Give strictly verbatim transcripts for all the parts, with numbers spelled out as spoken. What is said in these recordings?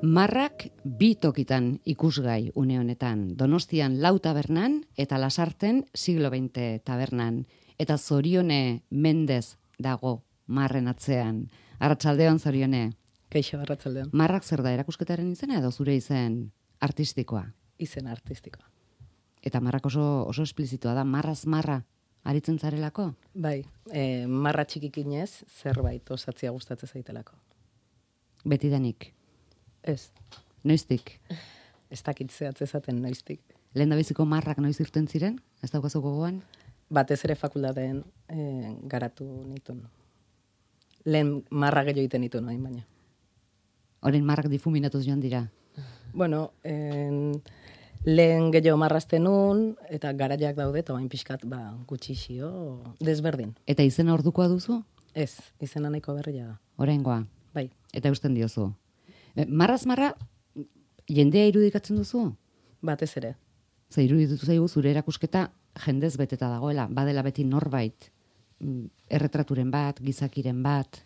Marrak bi tokitan ikusgai une honetan, Donostian lau tabernan eta Lasarten siglo veinte tabernan, eta Zorione Mendez dago marren atzean. Arratsaldeon Zorione. Kaixo, arratsaldeon. Marrak zer da, erakusketaren izena edo zure izen artistikoa? Izen artistikoa. Eta marrak oso, oso esplizitua da, marraz marra aritzen zarelako? Bai, e, marra txikikinez zerbait osatzia gustatzen zaitelako. Betidanik? Ez. Noiztik? Ez dakit zehatz ezaten noiztik. Lehen da biziko marrak noiz irten ziren? Ez daukazu gogoan? Batez ere fakultateen e, garatu nituen. Lehen marra gehiago egiten nituen hain baina. Orain marrak difuminatuz joan dira? Bueno, en, lehen gehiago marrazten nun, eta garaiak daude, eta bain pixkat ba, gutxixio desberdin. Eta izena ordukoa duzu? Ez, izena nahiko berria da. Oraingoa? Bai. Eta eusten diozu? Marraz marra, jendea irudikatzen duzu? Batez ere. Ze iruditu zaigu zure erakusketa jendez beteta dagoela, badela beti norbait, erretraturen bat, gizakiren bat.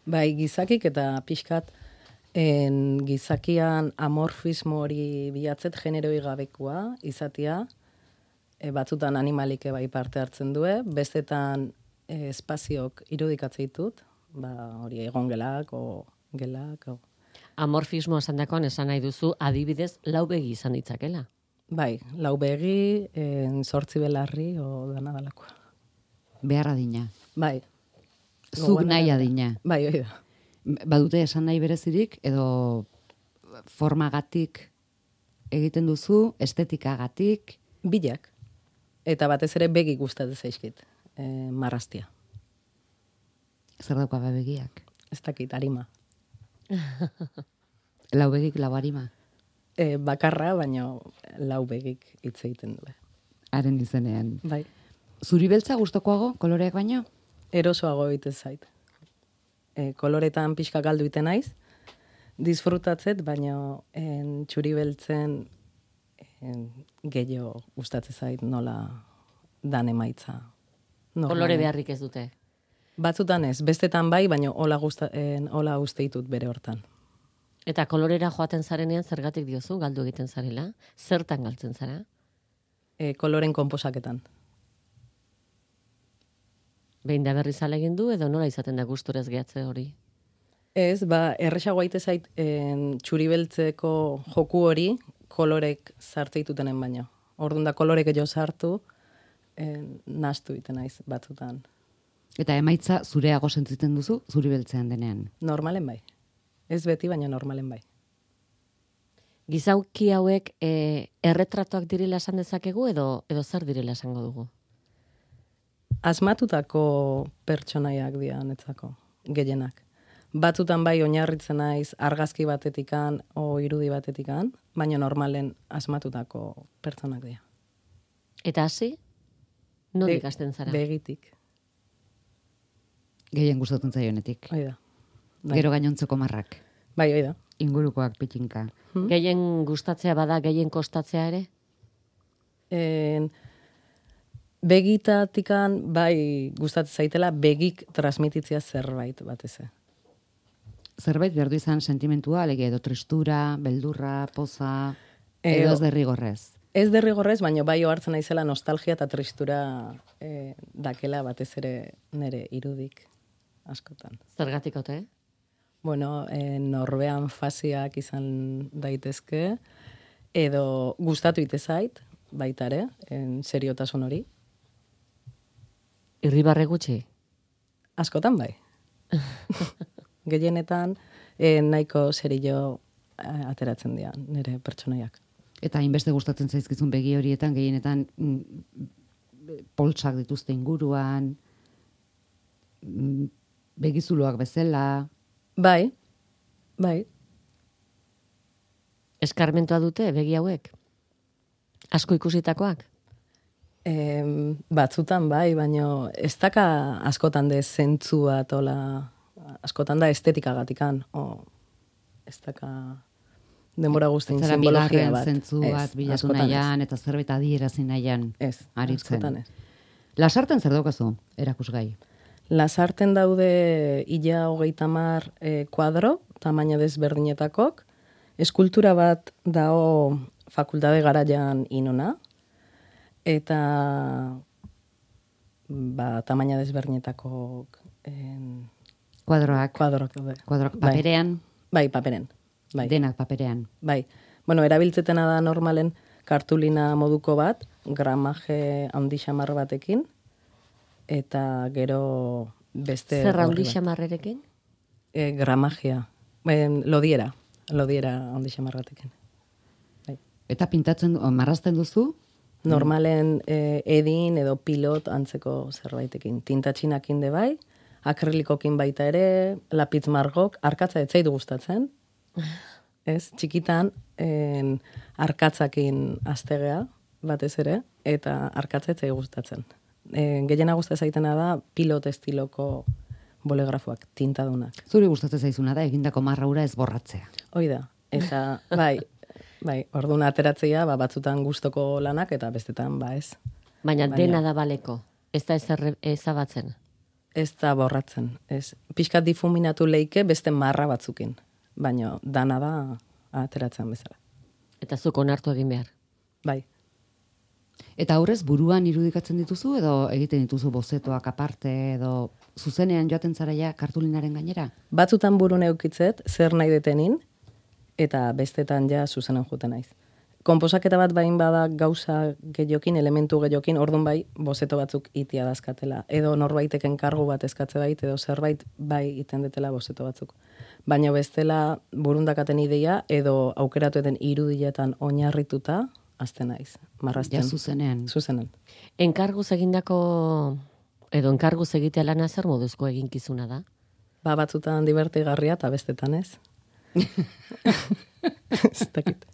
Bai, gizakik eta pixkat en, gizakian amorfismo hori bilatzet generoi gabekoa izatea, e, batzutan animalike bai parte hartzen due, bestetan e, espaziok irudikatzen ditut, ba, hori egon gelak, o gelak, o... Amorfismo esan dakoan esan nahi duzu adibidez lau begi izan ditzakela. Bai, lau begi, en, zortzi belarri, o dana dalakoa. Behar adina. Bai. Zuk nahi adina. Bai, hori da. Badute esan nahi berezirik, edo formagatik egiten duzu, estetikagatik? Bilak. Eta batez ere begi gustatzen zaizkit, e, marraztia. Zer dauka begiak? Ez dakit, arima. Lau begik, lau harima? E, bakarra, baina lau begik hitz egiten du. Haren izenean. Bai. Zuri beltza gustokoago, koloreak baino? Erosoago egiten zait. E, koloretan pixka galdu iten naiz, disfrutatzet, baina en, txuri beltzen en, gehiago gustatzen zait nola dan emaitza. Normalen. Kolore beharrik ez dute? Batzutan ez, bestetan bai, baina hola, gusta, en, hola uste ditut bere hortan. Eta kolorera joaten zarenean zergatik diozu, galdu egiten zarela? Zertan galtzen zara? E, koloren konposaketan. Behin da berriz alegin du edo nola izaten da gusturez gehatze hori? Ez, ba, erresago aite zait en, txuri beltzeko joku hori kolorek sartze ditutenen baino. Orduan da kolorek jo sartu, en, nastu iten naiz batzutan. Eta emaitza zureago sentitzen duzu, zuri beltzean denean? Normalen bai. Ez beti, baina normalen bai. Gizauki hauek e, erretratoak direla esan dezakegu edo edo zer direla esango dugu? Asmatutako pertsonaiak dira netzako, gehienak. Batzutan bai oinarritzen naiz argazki batetikan o irudi batetikan, baina normalen asmatutako pertsonak dira. Eta hasi? Non Be- ikasten zara? Begitik. Gehien gustatzen zaionetik. Hoi da. Bai. Gero gainontzeko marrak. Bai, hoi da. Ingurukoak pitxinka. Hmm? Gehien gustatzea bada, gehien kostatzea ere? En, begitatikan bai gustatzen zaitela begik transmititzea zerbait batez. Zerbait behar du izan sentimentua, alegia edo tristura, beldurra, poza, Eh, edo ez derrigorrez. Ez derrigorrez, baina bai ohartzen naizela nostalgia eta tristura e, dakela batez ere nere irudik askotan. Zergatik ote? Bueno, e, norbean fasiak izan daitezke, edo gustatu ite zait, baita ere, en seriotasun hori. Irribarre gutxi? Askotan bai. Gehienetan e, nahiko serio ateratzen dira nire pertsonaiak. Eta hainbeste gustatzen zaizkizun begi horietan, gehienetan mm, poltsak dituzte inguruan, mm, begizuloak bezala. Bai, bai. Eskarmentua dute begi hauek? Asko ikusitakoak? E, batzutan bai, baina ez daka askotan de zentzua tola, askotan da estetikagatikan, o ez daka denbora guztien Zara simbologia bigarren bat. zentzu Ez, bat bilatu askotan ez. nahian, eta zerbait adierazi nahian Ez, aritzen. askotan ez. Lasarten zer daukazu, erakusgai? Lasarten daude ila hogeita hamar e, kuadro, tamaina desberdinetakok, eskultura bat dao fakultate garaian inona, eta ba, tamaina desberdinetako en, Kuadroak, kuadroak daude. kuadroak Bai. paperean, Bai, paperen. Bai. denak paperean. Bai. Bueno, erabiltzetena da normalen kartulina moduko bat, gramaje handi xamar batekin, eta gero beste... Zer gorri handi bat. xamarrerekin? E, gramajea. Ben, lodiera. Lodiera handi xamar batekin. Bai. Eta pintatzen, o, marrazten duzu? Normalen e, edin edo pilot antzeko zerbaitekin. Tintatxinakin de bai, akrilikokin baita ere, lapitz margok, arkatza ez zaitu gustatzen. Ez, txikitan, en, arkatzakin astegea, batez ere, eta arkatza ez zaitu gustatzen. E, gehiena gustatzen zaitena da pilot estiloko bolegrafoak, tintadunak. Zuri gustatzen zaizuna da, egindako marraura ez borratzea. Hoi da, eta bai, bai, orduan ateratzea, ba, batzutan gustoko lanak, eta bestetan, ba ez. Baina, Baina- dena da baleko. Ez da ezer ezabatzen. Ez da borratzen, ez. Pixkat difuminatu leike beste marra batzukin, baina dana da ateratzen bezala. Eta zuk onartu egin behar. Bai, Eta aurrez buruan irudikatzen dituzu edo egiten dituzu bozetoak aparte edo zuzenean joaten zara ja kartulinaren gainera? batzutan burun eukitzet, zer nahi detenin, eta bestetan ja zuzenen juten naiz. Konposaketa bat bain bada gauza gehiokin, elementu gehiokin, ordun bai, bozeto batzuk itia dazkatela. Edo norbaiteken kargu bat eskatze bait, edo zerbait bai iten detela bozeto batzuk. Baina bestela burundakaten ideia, edo aukeratu eden irudiletan oinarrituta, azten naiz, marrazten. Ja zuzenean. Zuzenen. Enkarguz egindako, edo enkarguz egitea lana zer moduzko eginkizuna da? Ba, batzutan divertigarria eta bestetan ez. Ez dakit.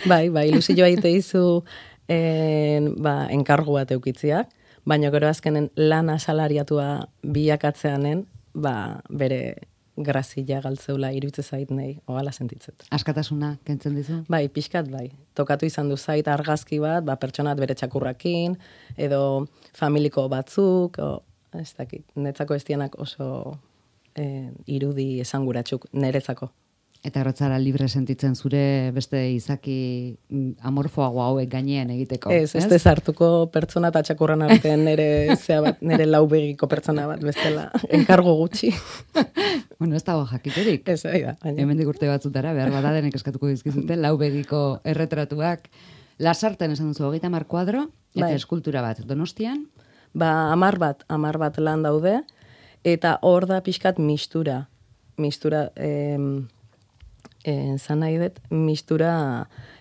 Bai, ba, ilusioa ite izu en, ba, enkargu bat eukitziak, baina gero azkenen lana salariatua bilakatzeanen, ba, bere grazia galtzeula iruditze zait nei, ogala sentitzet. Askatasuna kentzen dizu? Bai, pixkat bai. Tokatu izan du zait argazki bat, ba, pertsonat bere txakurrakin, edo familiko batzuk, o, ez dakit, netzako estianak oso eh, irudi esanguratsuk neretzako. Eta erotzara libre sentitzen zure beste izaki mm, amorfoago hauek gainean egiteko. Ez, ez ez hartuko pertsona eta txakurran artean nere, zea bat, nere laubegiko pertsona bat, bestela, enkargo gutxi. Bueno, ez dago jakiterik. Ez, bai da, baina. Hemendik urte batzutara, behar bada denek eskatuko dizkizute, lau begiko erretratuak. Lasarten esan duzu, hogeita hamar kuadro, eta Bai. eskultura bat. Donostian, Ba, amar bat, amar bat lan daude, eta hor da pixkat mistura. Mistura, em, eh, zan nahi dut, mistura,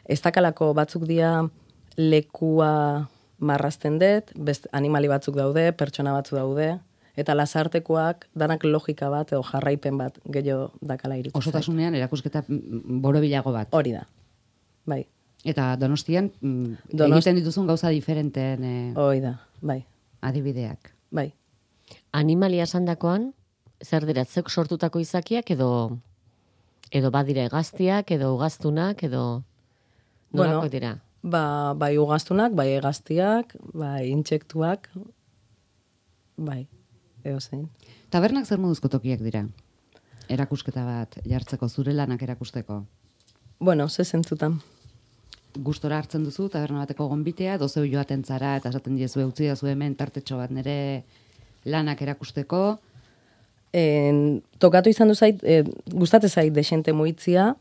ez dakalako batzuk dia lekua marrazten dut, best, animali batzuk daude, pertsona batzuk daude, eta lasartekoak danak logika bat edo jarraipen bat gehiago dakala irutzen zait. osotasunean erakusketa mm, borobilago bat. Hori da, bai, Eta Donostian mm, Donost- egiten dituzun gauza diferenteen eh, hori da, bai, adibideak. bai. Animalia esandakoan, zer dira, zeuk sortutako izakiak edo edo badira hegaztiak, edo ugaztunak, edo nolakoak Bueno, dira? Ba, bai ugaztunak, bai egaztiak, bai intsektuak, bai, edo zein. Tabernak zer moduzko tokiak dira? Erakusketa bat jartzeko, zure lanak erakusteko. Bueno, ze zentzutan. Gustora hartzen duzu, taberna bateko gonbitea, dozeu joaten zara, eta esaten diezu eutzi dazu hemen tartetxo bat nire lanak erakusteko. En, tokatu izan du zait, e, gustatzen zait desente muitzia,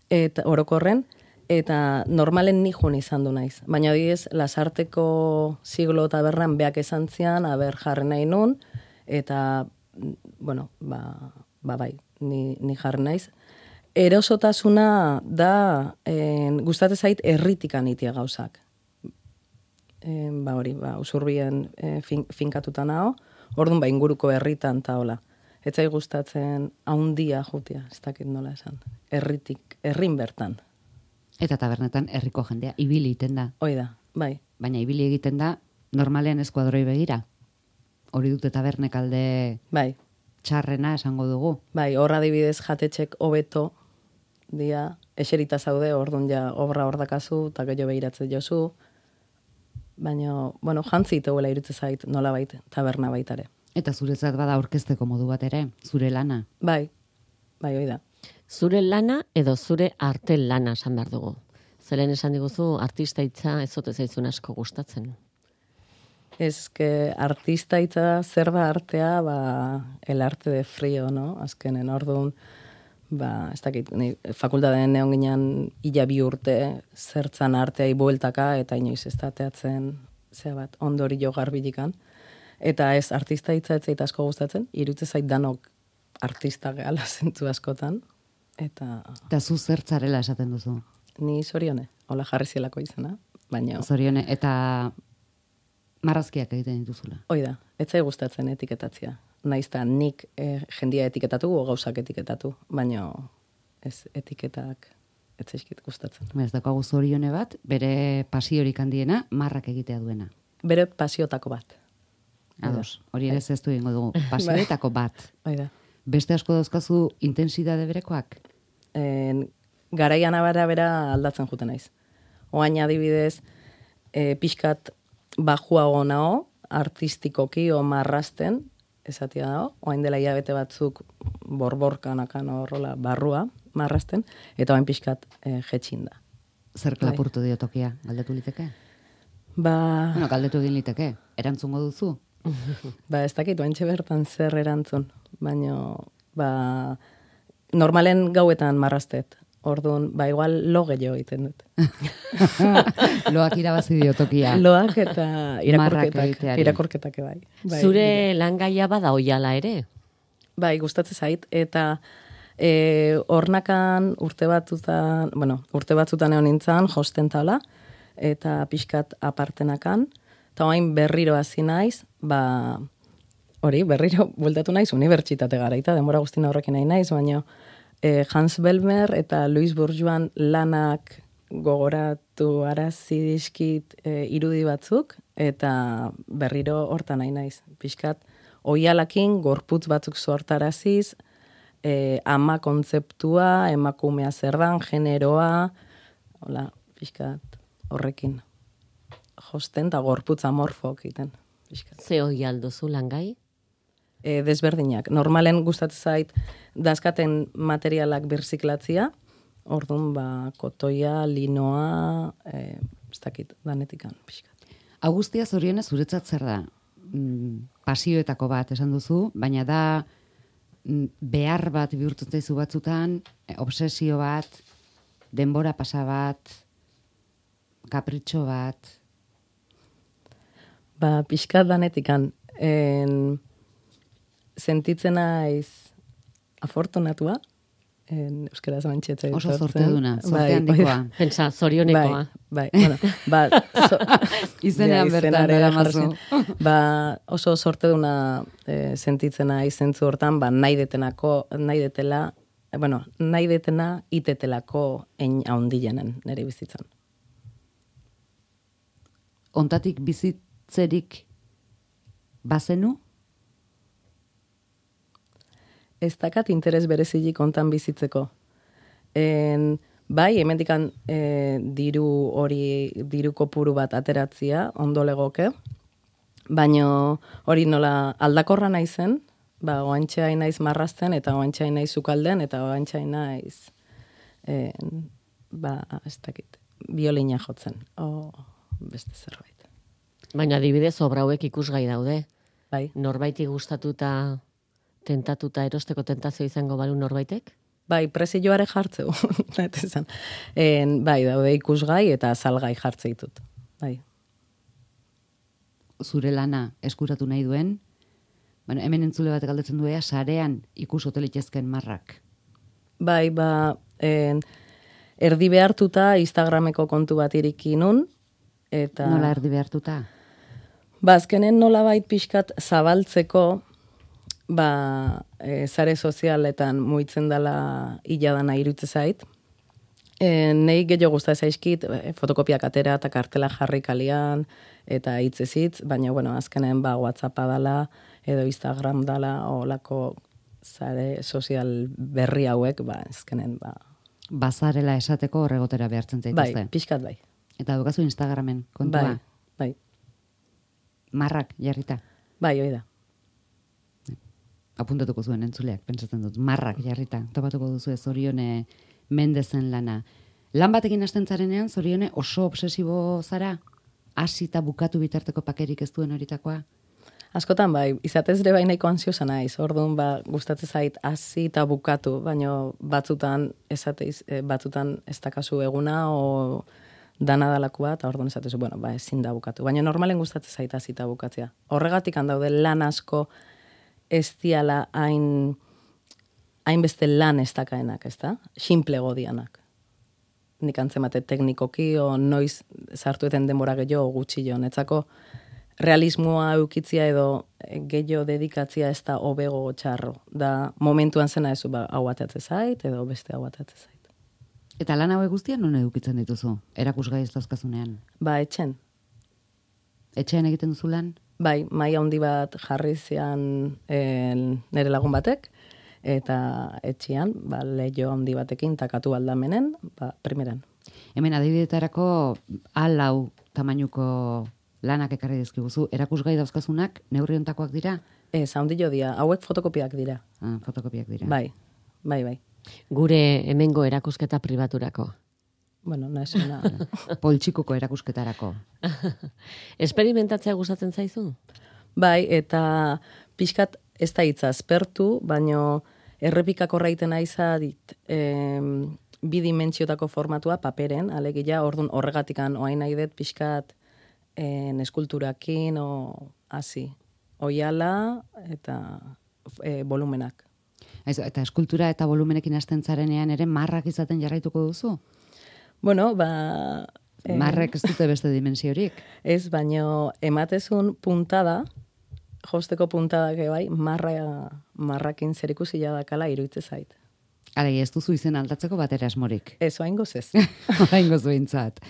eta orokorren, eta normalen nijun izan du naiz. Baina adibidez, lasarteko siglo tabernan beak esan zian, aber jarri nahi nun, eta, bueno, ba, ba bai, ni, ni jarri naiz. Erosotasuna da, en, gustatzen zait erritikan itia gauzak. En, ba hori, ba, usurbien e, fin, finkatuta nao, orduan ba inguruko herritan ta hola. Ez zai gustatzen haundia jutia, ez dakit nola esan. Herritik, herrin bertan. Eta tabernetan herriko jendea ibili egiten da. Hoi da, bai. Baina ibili egiten da normalean eskuadroi begira. Hori dute tabernek alde Bai, txarrena esango dugu. bai, horra adibidez jatetxek hobeto dia, eserita zaude, orduan ja obra hor dakazu, eta gehiago behiratzen jozu. Baina, bueno, jantzi iteguela irutze zait, nola bait, taberna baitare. Eta zuretzat bada aurkezteko modu bat ere, zure lana. Bai, bai, hoi da. Zure lana edo zure arte lana esan behar dugu. Zeren esan diguzu artista hitza ez zote zaizun asko gustatzen. Ez que artista hitza zer da artea, ba, el arte de frío, no? Azkenen, orduan, ba, ez dakit, ni fakultateen neon ginen ila bi urte zertzan arteai bueltaka, eta inoiz ez da teatzen, zea bat, ondori jo garbilikan. Eta ez artista hitza ez zait asko gustatzen, irutze zait danok artista gehala zentzu askotan. Eta Eta zu zertzarela esaten duzu. ni Zorione, hola jarri zielako izena, baina Zorione, eta marrazkiak egiten dituzula. hoi da, ez zai gustatzen etiketatzea. Naiz da nik eh, jendia etiketatu o gauzak etiketatu, baina ez etiketak ez zaizkit gustatzen. Ez daukagu Zorione bat, bere pasiorik handiena, marrak egitea duena. Bere pasiotako bat. Ados, hori ere ez du egingo dugu. Pasioetako bat. Hoi da. Beste asko dauzkazu intensidade berekoak? En, garaian abara bera aldatzen juten naiz. Oain adibidez, e, pixkat bajuago nao, artistikoki o marrasten, esatia dago, oain dela hilabete batzuk borborkanakan horrola barrua marrasten, eta oain pixkat e, jetxin da. Zer klapurtu dio tokia, galdetu liteke? Ba, Bueno, galdetu egin liteke, erantzungo duzu? ba ez dakit, oaintxe bertan zer erantzun, baina ba, normalen gauetan marrastet. Orduan, ba, igual lo gehiago egiten dut. Loak irabazi dio tokia. Loak eta Marrak irakorketak, egiteari. irakorketak bai. bai Zure langaia bada oiala ere? Bai, gustatzen zait, eta e, ornakan urte batzutan, bueno, urte batzutan egon nintzen, josten tala, eta pixkat apartenakan, eta orain berriro hasi naiz, ba, hori, berriro bueltatu naiz, unibertsitate garaita, denbora guztina horrekin nahi naiz, baina e, Hans Belmer eta Louis Bourgeois lanak gogoratu arazi dizkit e, irudi batzuk, eta berriro hortan nahi naiz, pixkat, oialakin gorputz batzuk sortaraziz, e, ama kontzeptua, emakumea zer dan, generoa, hola, pixkat horrekin. Josten eta gorputz amorfok egiten. Pixkat. Ze oial duzu langai? E, desberdinak. Normalen gustatzen zait dazkaten materialak birziklatzia, orduan ba, kotoia, linoa, e, ez dakit, danetikan, pixkat. Augustia Zorionez zuretzat zer da? Mm, pasioetako bat esan duzu, baina da mm, behar bat bihurtzen zaizu batzutan, eh, obsesio bat, denbora pasa bat, kapritxo bat. Ba, pixkat danetikan, en, sentitzen naiz afortunatua, en, euskaraz mantxetzea. Oso zorteduna, zorte handikoa. Pentsa, zorionekoa. Bai, bai, bueno, ba, so, Izenean ja, bertan izenare daramazu. jartzen. Ba, oso sorteduna e, sentitzen naiz zentzu hortan, ba, nahi detenako, nahi detela, e, bueno, nahi detena itetelako ein haundilenen nire bizitzan. Ontatik bizitzerik bazenu? Ez dakat interes berezilik ontan bizitzeko. En, bai, hemendikan e, diru hori, diru kopuru bat ateratzia, ondo legoke, baino hori nola aldakorra naizen, ba, oantxe hain naiz marrazten, eta oantxe hain naiz sukalden, eta oantxe hain naiz, en, ba, ez dakit, biolina jotzen, o beste zerbait. Baina adibidez obra hauek ikusgai daude. Bai, Norbaiti gustatuta, tentatuta erosteko tentazio izango balu norbaitek? bai, prezioare jartzeu, esan. En, bai, daude ikusgai eta salgai jartze ditut, bai. Zure lana eskuratu nahi duen, bueno, hemen entzule bat galdetzen duea, sarean ikus otelitezken marrak. Bai, ba, en, erdi behartuta Instagrameko kontu bat iriki nun, eta... Nola erdi behartuta? Ba, azkenen nolabait pixkat zabaltzeko, ba, e, sare sozialetan muitzen dela hiladana irutze zait. E, nei gehiago gusta zaizkit, e, fotokopiak atera eta kartela jarri kalian, eta hitzez hitz, baina, bueno, azkenen ba, WhatsAppa dala, edo Instagram dala, olako sare sozial berri hauek, ba, azkenen, ba... Bazarela esateko horregotera behartzen Bai, zaituzte. pixkat bai. Eta dukazu Instagramen kontua. Bai, bai. Marrak jarrita. Bai, hoi da. apuntatuko zuen entzuleak, pentsatzen dut, marrak jarrita, topatuko duzu Zorione Mendezen lana. Lan batekin hasten zarenean, Zorione, oso obsesibo zara? Hasi eta bukatu bitarteko pakerik ez duen horitakoa? Askotan bai, izatez ere bai nahiko ansiosa naiz, orduan ba, gustatzen zait hasi eta bukatu, baina batzutan esateiz, batzutan ez dakazu eguna o dana dalakua, eta orduan esatezu, bueno, ba, ezin da bukatu. Baina normalen gustatzen zait hasi eta bukatzea. Horregatik handaude lan asko ez diala hain hainbeste lan ez dakaenak, ez da? Simple godianak. Nik antzemate teknikoki, o noiz sartueten denbora gehiago gutxi jo. Netzako realismoa eukitzia edo gehiago dedikatzia ez da hobego txarro. Da momentuan zena ezu, ba, hau atatze zait, edo beste hau atatze zait. Eta lan hauek guztian non edukitzen dituzu, erakusgai ez dauzkazunean? Ba, etxen. Etxean egiten duzu lan? Bai, maila handi bat jarri zian nire lagun batek, eta etxian, ba, leio handi batekin takatu aldamenen, ba, primeran. Hemen adibidetarako alau tamainuko lanak ekarri dizkiguzu, erakusgai dauzkazunak neurri hontakoak dira? Ez, handi jo dira, hauek fotokopiak dira. Ah, fotokopiak dira. Bai, bai, bai. Gure hemengo erakusketa pribaturako. Bueno, naizuna. Poltsikuko erakusketarako. Esperimentatzea gustatzen zaizu? Bai, eta pixkat ez da hitza aspertu, baino errepikako raiten aiza dit em, bidimentsiotako formatua paperen, alegia, orduan horregatikan oain nahi dut pixkat en, eskulturakin o hasi. Oiala eta e, volumenak. Ez, eta eskultura eta volumenekin hasten zarenean ere marrak izaten jarraituko duzu? Bueno, ba... Eh, Marrek ez dute beste dimensiorik. Ez, baino ematezun puntada, josteko puntada bai, marra, marrakin zerikusi jadakala iruitze zait. Alei, ez duzu izen aldatzeko batera asmorik. Ez, oaingoz ez. Oaingoz behintzat.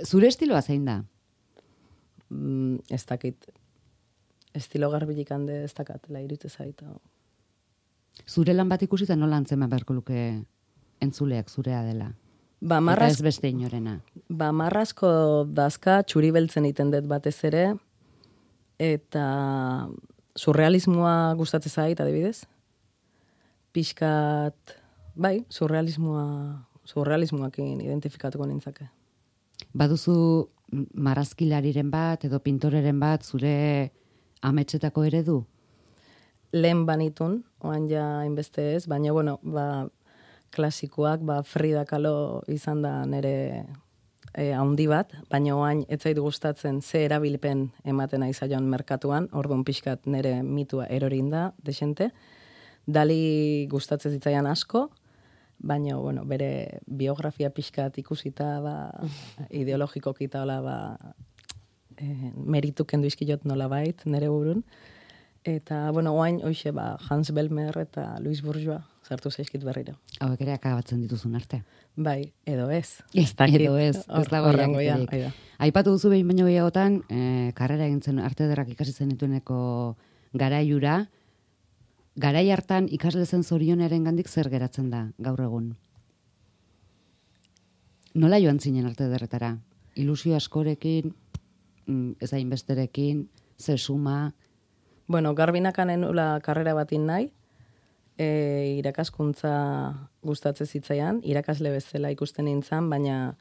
Zure estiloa zein da? Mm, ez dakit. Estilo garbilik hande ez dakatela iruitze zait. Zure lan bat ikusita nola antzeman beharko luke entzuleak zurea dela? Ba, marraz, eta ez beste inorena. Ba, marrazko dazka txuri beltzen iten dut batez ere, eta surrealismoa gustatzen zait, adibidez. Pixkat, bai, surrealismoa, surrealismoakin identifikatuko nintzake. Baduzu marrazkilariren bat edo pintoreren bat zure ametsetako eredu? Lehen banitun, oan ja hainbeste ez, baina, bueno, ba, klasikoak, ba, Frida Kahlo izan da nire e, handi bat, baina oain ez zait gustatzen ze erabilpen ematen aizaion merkatuan, orduan pixkat nire mitua erorin da, desente. Dali gustatzen zitzaian asko, baina, bueno, bere biografia pixkat ikusita, ba, ideologiko kita, hola, ba, e, meritu kendu izkilot nola bait, nire burun. Eta, bueno, oain, hoxe, ba, Hans Belmer eta Louis Bourgeois sartu zaizkit berriro. Hauek ere akabatzen dituzun arte. Bai, edo ez. Ez dakit, edo ez, ez dago jakiterik. jakiterik. Aipatu duzu behin baino gehiagotan, eh, karrera egin zen arte ederrak ikasi zenitueneko garaiura, garai hartan ikasle zen Zorioneren gandik zer geratzen da gaur egun? Nola joan zinen arte ederretara? Ilusio askorekin, ez hainbesterekin, ze suma? Bueno, garbinakan enula karrera batin nahi, e, irakaskuntza gustatzen zitzaian, irakasle bezala ikusten nintzen, baina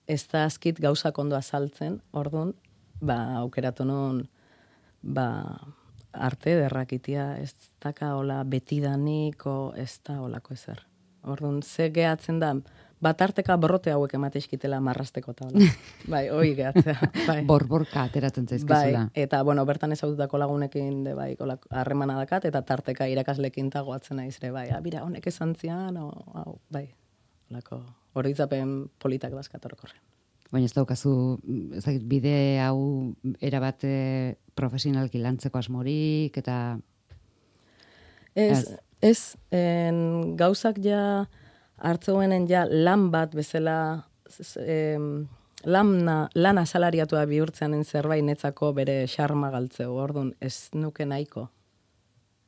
ez da azkit gauzak ondo azaltzen, orduan, ba, aukeratu non, ba, arte derrakitia, ez daka hola betidanik, o ez da holako ezer. Orduan, ze gehatzen da, bat arteka borrote hauek emateizkitela marrasteko eta hola. Bai, hoi gehatzea. Bai. Borborka ateratzen zaizkizula. Bai, eta, bueno, bertan ezaututako lagunekin, de, bai, harremana dakat, eta tarteka irakaslekin tagoatzen naizre, bai, abira, honek esan zian, o, hau, bai, holako, oroitzapen politak dazkat orokorren. Baina ez daukazu, ezagit, bide hau erabate profesionalki lantzeko asmorik, eta... Ez, ez, en, gauzak ja hartzeuenen ja lan bat bezala, em, lana, lana salariatua bihurtzean zerbait netzako bere xarma galtzeu, orduan ez nuke nahiko.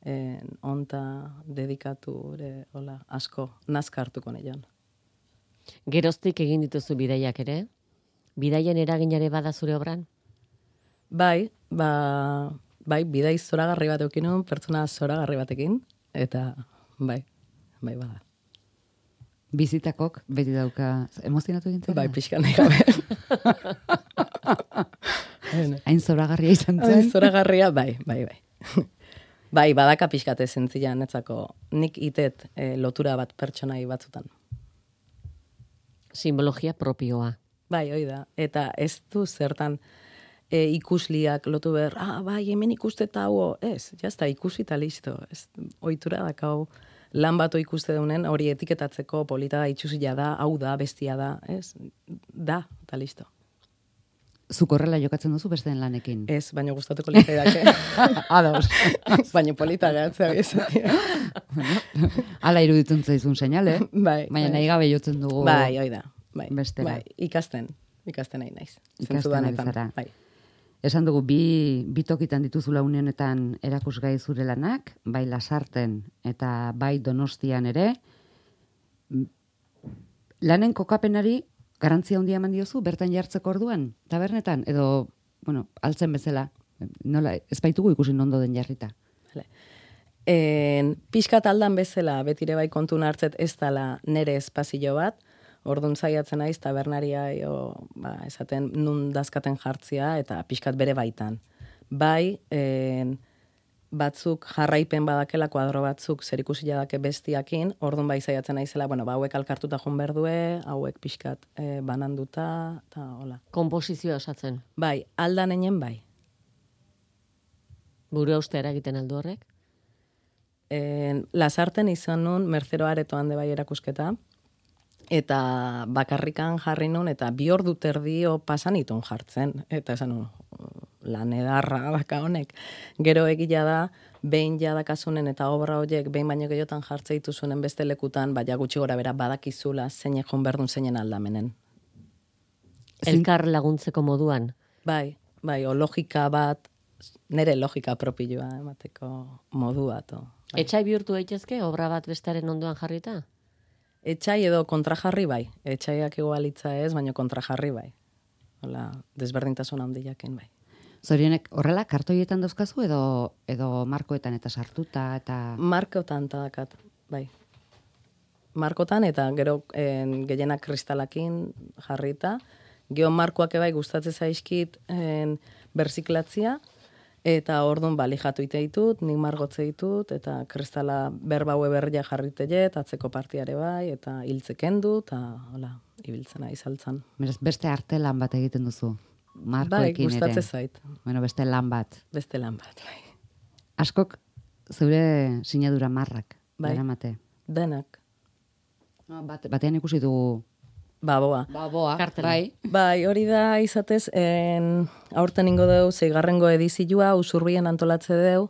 En, onta dedikatu, ere, hola, asko, nazka hartuko nean. Geroztik egin dituzu bidaiak ere? Bidaien eraginare bada zure obran? Bai, ba, bai, bidai zoragarri bat eukin nuen, pertsona zoragarri batekin, eta bai, bai bada. Bizitakok beti dauka emozionatu gintzen? Bai, pixka nahi gabe. Hain zoragarria izan zen? Hain zoragarria, bai, bai, bai. Bai, badaka pixkate zentzila netzako, nik itet e, lotura bat pertsonai batzutan. Simbologia propioa. Bai, hoi da. Eta ez du zertan e, ikusliak lotu behar, ah, bai, hemen ikuste eta hau, ez, jazta, ikusi eta listo. Ez, ohitura dakau, lan bat ikuste daunen, hori etiketatzeko polita da, itxusila da, hau da, bestia da, ez, da, eta listo. Zuk horrela jokatzen duzu besteen lanekin? Ez, baina gustatuko litzai dake. Ados. Baina polita gehatzea bizatia. Ala iruditzen zaizun seinale, bai, baina bai. nahi gabe jotzen dugu Bai, hoi da. Bai, bestera. bai, ikasten, ikasten nahi naiz. Ikasten ari zara. Bai. Esan dugu, bi, bi tokitan dituzula une honetan erakusgai zure lanak, bai Lasarten eta bai Donostian ere. Lanen kokapenari garantzia handia eman diozu, bertan jartzeko orduan, tabernetan, edo, bueno, altzen bezala, nola, ez baitugu ikusi ondo den jarrita. Vale. En, pixkat aldan bezala, betire bai kontun hartzet ez dala nere espazio bat, orduan zaiatzen naiz tabernaria, jo, ba, esaten nun dazkaten jartzia, eta pixkat bere baitan. Bai, en, batzuk jarraipen badakela, kuadro batzuk zer ikusia dake bestiakin, orduan bai zaiatzen naizela, bueno, ba, hauek alkartuta joan berdue, hauek pixkat e, bananduta, eta hola. Komposizioa osatzen. Bai, aldan enen bai. Buru uste eragiten aldu horrek? En, Lasarten izan nun, Mercero Aretoan de bai erakusketa, eta bakarrikan jarri nun, eta bi ordu terdio pasan itun jartzen, eta esan nun, lan edarra daka honek. Gero egila da, behin jadakasunen eta obra horiek, behin baino gehiotan jartze dituzunen beste lekutan, baina gutxi gora bera badakizula, zeinek joan berdun zeinen aldamenen. Elkar laguntzeko moduan? Bai, bai, o logika bat, nire logika propioa emateko modu bat. O, bai. Etxai bihurtu daitezke obra bat bestaren ondoan jarrita? Etxai edo kontrajarri bai. Etxaiak igualitza ez, baina kontrajarri bai. Hola, desberdintasun handiakin bai. Zorionek, horrela, kartoietan dauzkazu edo edo markoetan eta sartuta eta... Markotan tadakat, bai. Markotan eta gero en, gehienak kristalakin jarrita. Geo markoak ebai gustatzen zaizkit en, berziklatzia, eta orduan balijatu ite ditut, nik margotze ditut, eta kristala berbaue berria jarriteet, atzeko partiare bai, eta hiltzekendu, eta hola, ibiltzena izaltzan. Beraz, beste arte lan bat egiten duzu. Markoekin bai, ere. gustatzen zait. Bueno, beste lan bat. Beste lan bat, bai. Askok zeure sinadura marrak. Bai. Eramate. Denak. Bat, batean ikusi dugu Baboa. Baboa, Kartela. bai. Bai, hori da izatez, en, aurten ingo deu, zeigarrengo edizioa, usurbien antolatze deu,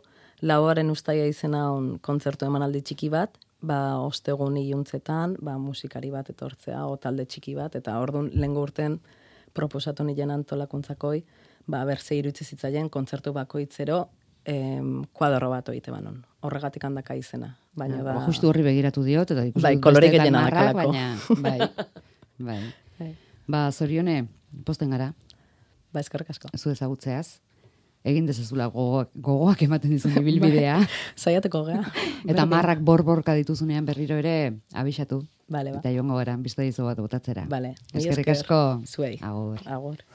lauaren ustaia izena on kontzertu emanaldi txiki bat, ba, ostegun iluntzetan, ba, musikari bat etortzea, o talde txiki bat, eta orduan lehengo urten proposatu nien antolakuntzakoi, ba, berze irutzi zitzaien kontzertu bakoitzero, em, kuadro bat oite banon. Horregatik handaka izena. Baina da... Ba, justu horri begiratu diot, eta ikusi Bai, dut kolore besteetan gehiena marrak, dakalako. baina, bai, bai. Bai. Ba, Zorione, posten gara, Ba, eskerrik asko. zu ezagutzeaz, egin dezazula gogoak, gogoak ematen dizun ibilbidea, Saiateko gea. eta marrak bor-borka dituzunean berriro ere abisatu, Bale, ba. eta joango gara, bista dizu bat botatzera. Bale. Eskerrik asko. Zuei. Agur. Agur.